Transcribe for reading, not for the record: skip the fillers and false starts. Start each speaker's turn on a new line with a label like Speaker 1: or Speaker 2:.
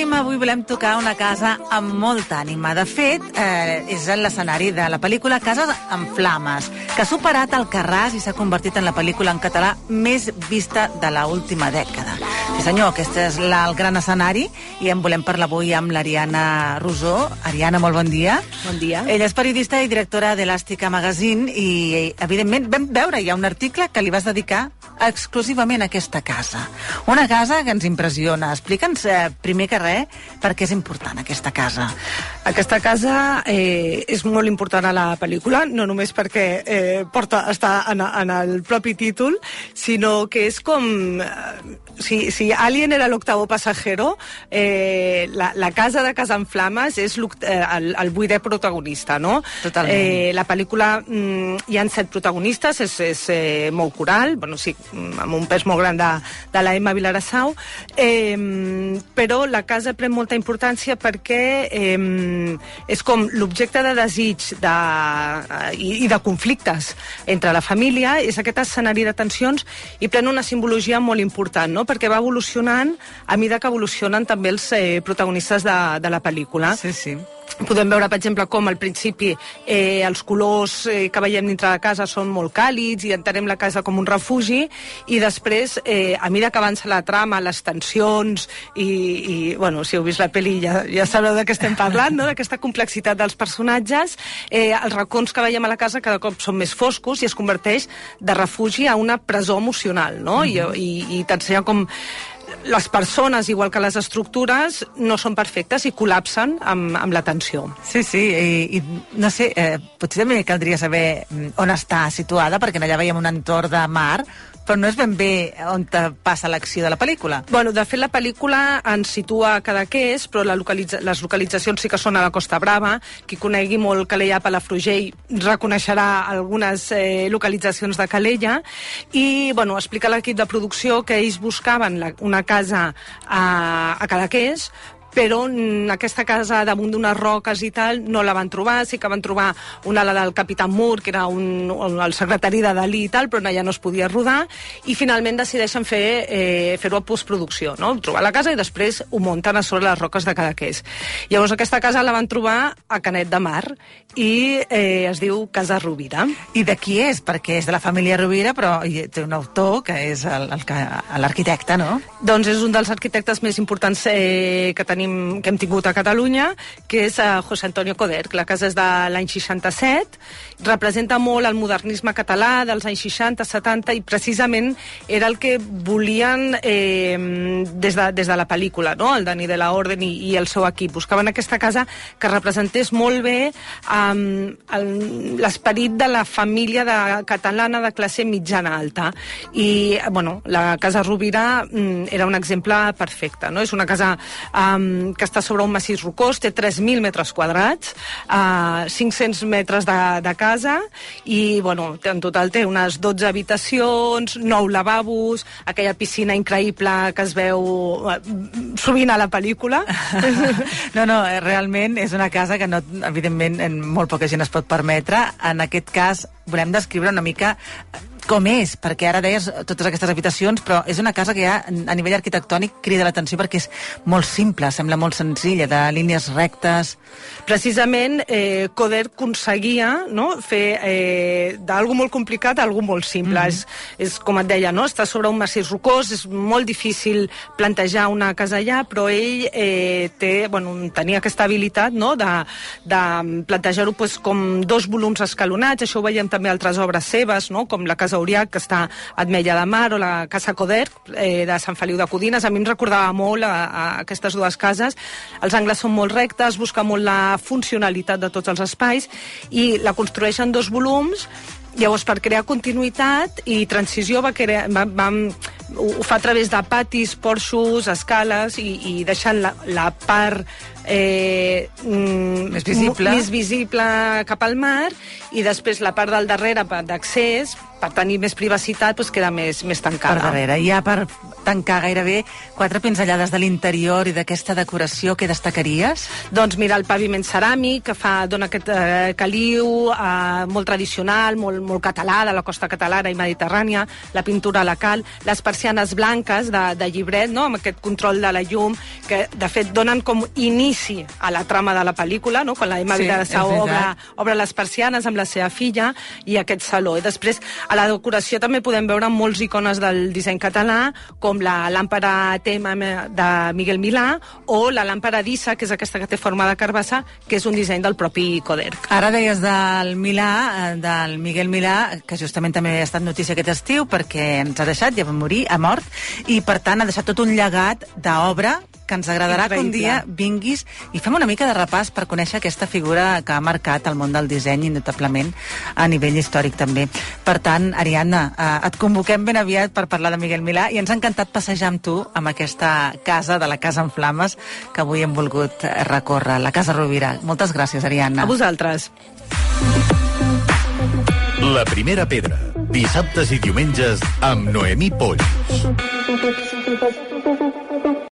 Speaker 1: ànima, avui volem tocar una casa amb molta ànima. De fet, és l'escenari de la pel·lícula Cases en Flames, que ha superat Alcarràs i s'ha convertit en la pel·lícula en català més vista de l'última dècada. Sí senyor, aquest és el gran escenari i en volem parlar avui amb l'Ariana Rosó. Ariana, molt bon dia.
Speaker 2: Bon dia.
Speaker 1: Ella és periodista i directora d'Elàstica Magazine i, evidentment, vam veure ja un article que li vas dedicar exclusivament a aquesta casa. Una casa que ens impressiona. Explica'ns, primer que res, per què és important aquesta casa.
Speaker 2: Aquesta casa és molt important a la pel·lícula, no només perquè està en el propi títol, sinó que és com... Si Alien era l'octavo passajero, la casa de Casa en Flames és el vuitè protagonista, no?
Speaker 1: Totalment.
Speaker 2: La pel·lícula hi ha 7 protagonistes, és molt coral, bueno, sí, amb un pes molt gran de la Emma Vilarassau, però la casa pren molta importància perquè és com l'objecte de desig i de conflictes entre la família, és aquest escenari de tensions i pren una simbologia molt important, no? Perquè va evolucionant a mesura que evolucionen també els protagonistes de la pel·lícula.
Speaker 1: Sí, sí.
Speaker 2: Podem veure, per exemple, com al principi els colors que veiem dintre de casa són molt càlids i entenem la casa com un refugi, i després, a mesura que avança la trama, les tensions i bueno, si heu vist la pel·li ja sabreu de què estem parlant, no? D'aquesta complexitat dels personatges, els racons que veiem a la casa cada cop són més foscos i es converteix de refugi a una presó emocional, no? I t'ensenya com les persones, igual que les estructures, no són perfectes i col·lapsen amb la tensió.
Speaker 1: Sí, sí, i no sé, potser també caldria saber on està situada, perquè allà veiem un entorn de mar, però no és ben bé on passa l'acció de la pel·lícula.
Speaker 2: Bueno, de fet, la pel·lícula ens situa a Cadaqués, però les localitzacions sí que són a la Costa Brava. Qui conegui molt Calella a Palafrugell reconeixerà algunes localitzacions de Calella. I, bueno, explica l'equip de producció que ells buscaven una casa a Cadaqués, però aquesta casa damunt d'unes roques i tal no la van trobar. Sí que van trobar una, la del Capitán Moore, que era el secretari de Dalí i tal, però allà no es podia rodar, i finalment decideixen fer-ho a postproducció, no? Trobar la casa i després ho munten a sobre les roques de Cadaqués. Llavors aquesta casa la van trobar a Canet de Mar i es diu Casa Rovira.
Speaker 1: I de qui és? Perquè és de la família Rovira, però té un autor que és l'arquitecte, no?
Speaker 2: Doncs és un dels arquitectes més importants que hem tingut a Catalunya, que és José Antonio Coder. La casa és de l'any 67, representa molt el modernisme català dels anys 60-70 i precisament era el que volien des de la pel·lícula, no? El Dani de la Orden i el seu equip. Buscaven aquesta casa que representés molt bé l'esperit de la família catalana de classe mitjana-alta. I, bueno, la Casa Rovira era un exemple perfecte, no? És una casa que està sobre un massís rocós, té 3.000 metres quadrats, 500 metres de casa i, bueno, en total té unes 12 habitacions, 9 lavabos, aquella piscina increïble que es veu sovint a la pel·lícula.
Speaker 1: No, realment és una casa que, no, evidentment, molt poca gent es pot permetre. En aquest cas, volem descriure una mica com és, perquè ara deies totes aquestes habitacions, però és una casa que ja a nivell arquitectònic crida l'atenció perquè és molt simple, sembla molt senzilla, de línies rectes.
Speaker 2: Precisament, Coder aconseguia, no, fer d'algú molt complicat a algú molt simple. És com et deia, no? Està sobre un massís rocós, és molt difícil plantejar una casa allà, però ell tenia aquesta habilitat, no, de plantejar-ho com 2 volums escalonats. Això ho veiem també a altres obres seves, no? Com la Casa Uriac, que està a Ametlla de Mar, o la Casa Coder, de Sant Feliu de Codines. A mi em recordava molt a aquestes dues cases. Els angles són molt rectes, busca molt la funcionalitat de tots els espais i la construeixen 2 volums. Llavors, per crear continuïtat i transició, ho fa a través de patis, porxos, escales i deixant la part
Speaker 1: més visible
Speaker 2: cap al mar, i després la part del darrere d'accés per tenir més privacitat, doncs queda més tancada.
Speaker 1: Per darrere. Ja per tancar gairebé 4 pinzellades de l'interior i d'aquesta decoració, què destacaries?
Speaker 2: Doncs mira, el paviment ceràmic, que dona aquest caliu molt tradicional, molt català, de la costa catalana i mediterrània, la pintura a la cal, les persianes blanques de llibret, no?, amb aquest control de la llum, que de fet donen com inici a la trama de la pel·lícula, no?, quan la Emma Vilassar obre les persianes amb la seva filla i aquest saló. I després, a la decoració també podem veure molts icones del disseny català, com la làmpara tema de Miguel Milà o la làmpara d'Issa, que és aquesta que té forma de carbassa, que és un disseny del propi Coderch.
Speaker 1: Ara deies del Milà, del Miguel Milà, que justament també ha estat notícia aquest estiu perquè ens ha deixat, ja va morir, ha mort, i per tant ha deixat tot un llegat d'obra que ens agradarà que un dia vinguis i fem una mica de repàs per conèixer aquesta figura que ha marcat el món del disseny notablement a nivell històric també. Per tant, Ariadna, et convoquem ben aviat per parlar de Miguel Milà i ens ha encantat passejar amb tu amb aquesta casa de la Casa en Flames que avui hem volgut recórrer, la Casa Rovira. Moltes gràcies, Ariadna.
Speaker 2: A vosaltres.
Speaker 3: La primera pedra, dissabtes i diumenges amb Noemí Polls.